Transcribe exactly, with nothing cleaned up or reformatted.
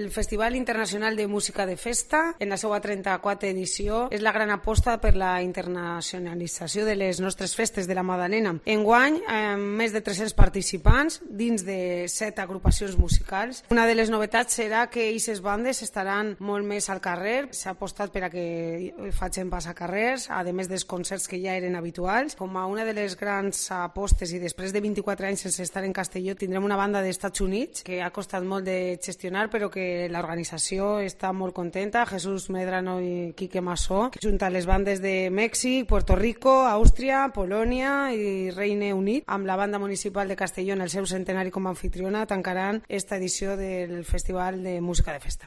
El Festival Internacional de Música de Festa, en la seva trenta-quarta edició, és la gran aposta per la internacionalització de les nostres festes de la Madalena. Enguany, amb més de tres-cents participants dins de set agrupacions musicals. Una de les novetats serà que aquestes bandes estaran molt més al carrer. S'ha apostat per a que facin passacarrers, a més dels concerts que ja eren habituals. Com a una de les grans apostes, i després de vint-i-quatre anys sense estar en Castelló, tindrem una banda dels Estats Units que ha costat molt de gestionar, però que l'organització està molt contenta. Jesús Medrano i Quique Massó, que junta les bandes de Mèxic, Puerto Rico, Àustria, Polònia i Regne Unit, amb la banda municipal de Castelló en el seu centenari com a anfitriona, tancaran esta edició del Festival de Música de Festa.